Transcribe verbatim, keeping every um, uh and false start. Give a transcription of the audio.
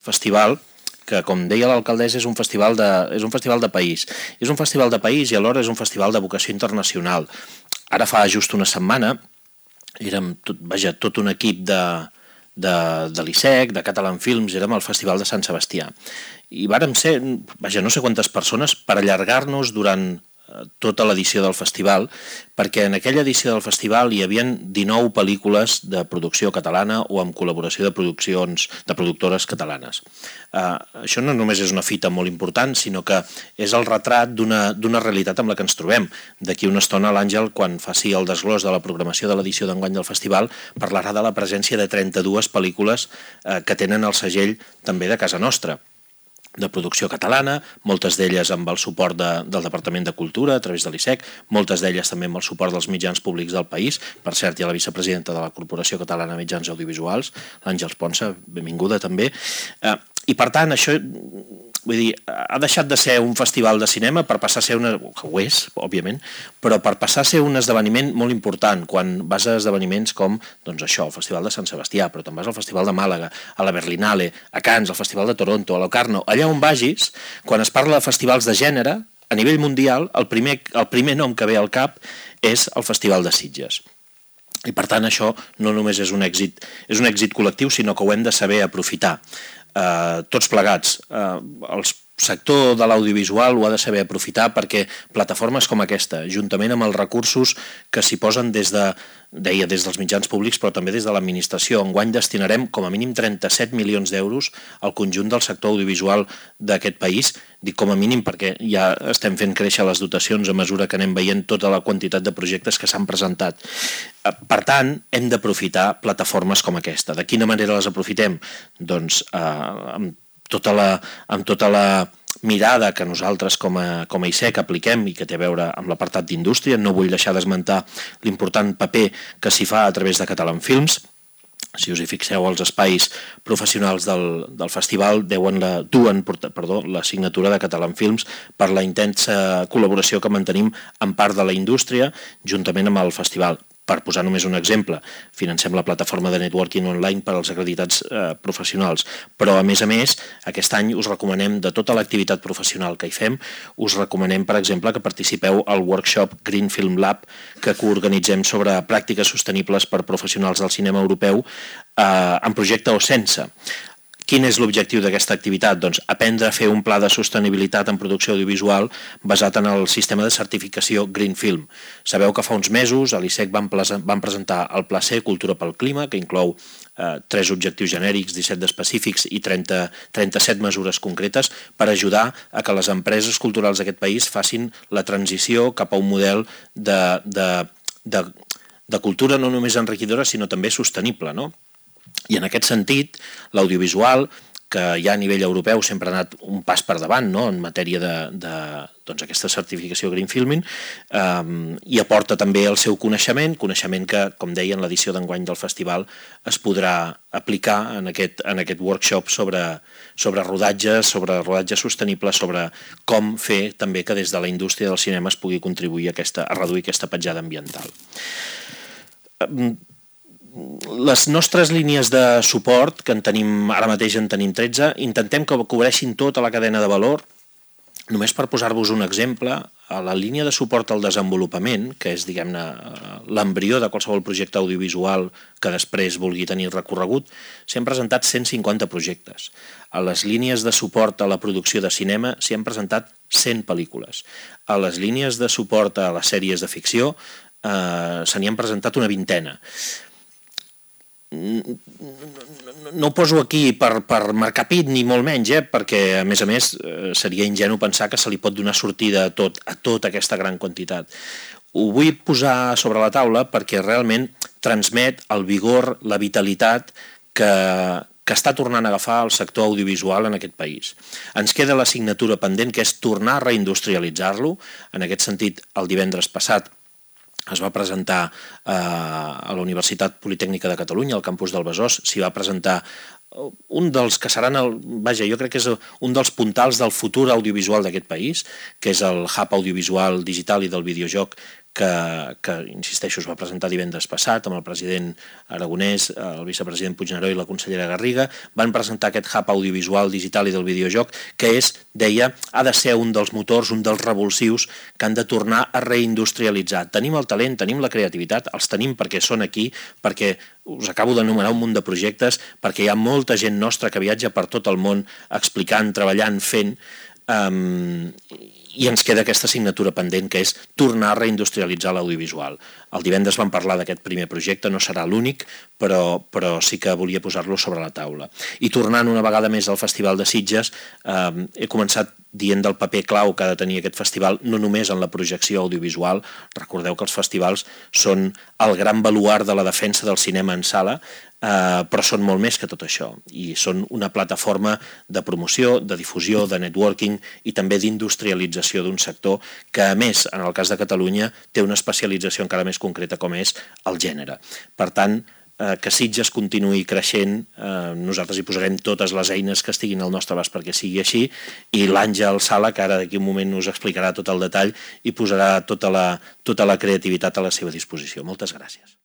festival que, com deia l'alcaldessa, és un festival de, és un festival de país. És un festival de país i alhora és un festival de vocació internacional. Ara fa just una setmana érem tot, vaja, tot un equip de, de, de l'I S E C, de Catalan Films, érem al Festival de Sant Sebastià. I vàrem ser, vaja, no sé quantes persones, per allargar-nos durant tota l'edició del festival, perquè en aquella edició del festival hi havia dinou pel·lícules de producció catalana o amb col·laboració de produccions de productores catalanes. Uh, això no només és una fita molt important, sinó que és el retrat d'una d'una realitat amb la que ens trobem. D'aquí una estona l'Àngel, quan faci el desglòs de la programació de l'edició d'enguany del festival, parlarà de la presència de trenta-dues pel·lícules uh, que tenen el segell també de casa nostra, de producció catalana, moltes d'elles amb el suport de, del Departament de Cultura a través de l'I S E C, moltes d'elles també amb el suport dels mitjans públics del país. Per cert, hi ha la vicepresidenta de la Corporació Catalana de Mitjans Audiovisuals, l'Àngels Ponsa, benvinguda també. Eh, I per tant, això vull dir, ha deixat de ser un festival de cinema per passar a ser una... que ho és, òbviament, però per passar a ser un esdeveniment molt important, quan vas a esdeveniments com, doncs això, el Festival de Sant Sebastià, però també vas al Festival de Màlaga, a la Berlinale, a Cannes, al Festival de Toronto, a Locarno, allà on vagis, quan es parla de festivals de gènere, a nivell mundial, el primer, el primer nom que ve al cap és el Festival de Sitges. I per tant això no només és un èxit, és un èxit col·lectiu, sinó que ho hem de saber aprofitar. Uh, tots plegats. Uh, el sector de l'audiovisual ho ha de saber aprofitar perquè plataformes com aquesta, juntament amb els recursos que s'hi posen des de, deia, des dels mitjans públics, però també des de l'administració. Enguany destinarem com a mínim trenta-set milions d'euros al conjunt del sector audiovisual d'aquest país. Dic com a mínim perquè ja estem fent créixer les dotacions a mesura que anem veient tota la quantitat de projectes que s'han presentat. Per tant, hem d'aprofitar plataformes com aquesta. De quina manera les aprofitem? Doncs eh, amb, tota la, amb tota la mirada que nosaltres com a, com a I S E C apliquem i que té a veure amb l'apartat d'indústria. No vull deixar d'esmentar l'important paper que s'hi fa a través de Catalan Films. Si us hi fixeu, els espais professionals del, del festival deuen la, duen perdó, la signatura de Catalan Films per la intensa col·laboració que mantenim en part de la indústria juntament amb el festival. Per posar només un exemple, financem la plataforma de networking online per als acreditats eh, professionals, però a més a més, aquest any us recomanem de tota l'activitat professional que hi fem, us recomanem, per exemple, que participeu al workshop Green Film Lab que coorganitzem sobre pràctiques sostenibles per professionals del cinema europeu eh, en projecte o sense. Quin és l'objectiu d'aquesta activitat? Doncs aprendre a fer un pla de sostenibilitat en producció audiovisual basat en el sistema de certificació Green Film. Sabeu que fa uns mesos a l'I S E C van, van presentar el Pla C, Cultura pel Clima, que inclou eh, tres objectius genèrics, disset d'específics i trenta, trenta-set mesures concretes per ajudar a que les empreses culturals d'aquest país facin la transició cap a un model de, de, de, de cultura no només enriquidora, sinó també sostenible, no? I en aquest sentit, l'audiovisual, que ja a nivell europeu sempre ha anat un pas per davant, no?, en matèria de, de doncs, aquesta certificació Green Filming, eh, i aporta també el seu coneixement, coneixement que, com deia, en l'edició d'enguany del festival es podrà aplicar en aquest, en aquest workshop sobre, sobre rodatges, sobre rodatge sostenible, sobre com fer també que des de la indústria del cinema es pugui contribuir a, aquesta, a reduir aquesta petjada ambiental. Eh, Les nostres línies de suport, que en tenim, ara mateix en tenim tretze, intentem que cobreixin tota la cadena de valor. Només per posar-vos un exemple, a la línia de suport al desenvolupament, que és, diguem-ne, l'embrió de qualsevol projecte audiovisual que després vulgui tenir recorregut, s'han presentat cent cinquanta projectes. A les línies de suport a la producció de cinema s'hi han presentat cent pel·lícules. A les línies de suport a les sèries de ficció eh, se n'hi han presentat una vintena. No ho poso aquí per, per marcar pit ni molt menys, eh? Perquè a més a més seria ingenu pensar que se li pot donar sortida a tot, a tota aquesta gran quantitat. Ho vull posar sobre la taula perquè realment transmet el vigor, la vitalitat que, que està tornant a agafar el sector audiovisual en aquest país. Ens queda l'assignatura pendent, que és tornar a reindustrialitzar-lo. En aquest sentit, el divendres passat es va presentar eh, a la Universitat Politècnica de Catalunya, al campus del Besòs, s'hi va presentar un dels que seran, el, vaja, jo crec que és un dels puntals del futur audiovisual d'aquest país, que és el hub audiovisual digital i del videojoc que, que, insisteixo, es va presentar divendres passat amb el president Aragonès, el vicepresident Puigneró i la consellera Garriga. Van presentar aquest hub audiovisual, digital i del videojoc, que és, deia, ha de ser un dels motors, un dels revulsius que han de tornar a reindustrialitzar. Tenim el talent, tenim la creativitat, els tenim perquè són aquí, perquè us acabo d'enumerar un munt de projectes, perquè hi ha molta gent nostra que viatja per tot el món explicant, treballant, fent, um, i ens queda aquesta assignatura pendent, que és tornar a reindustrialitzar l'audiovisual. El divendres vam parlar d'aquest primer projecte, no serà l'únic, però, però sí que volia posar-lo sobre la taula. I tornant una vegada més al Festival de Sitges, eh, he començat dient del paper clau que ha de tenir aquest festival, no només en la projecció audiovisual. Recordeu que els festivals són el gran baluard de la defensa del cinema en sala, Uh, però són molt més que tot això, i són una plataforma de promoció, de difusió, de networking i també d'industrialització d'un sector que, a més, en el cas de Catalunya, té una especialització encara més concreta com és el gènere. Per tant, uh, que Sitges continuï creixent, uh, nosaltres hi posarem totes les eines que estiguin al nostre abast perquè sigui així, i l'Àngel Sala, que ara d'aquí un moment us explicarà tot el detall i posarà tota la, tota la creativitat a la seva disposició. Moltes gràcies.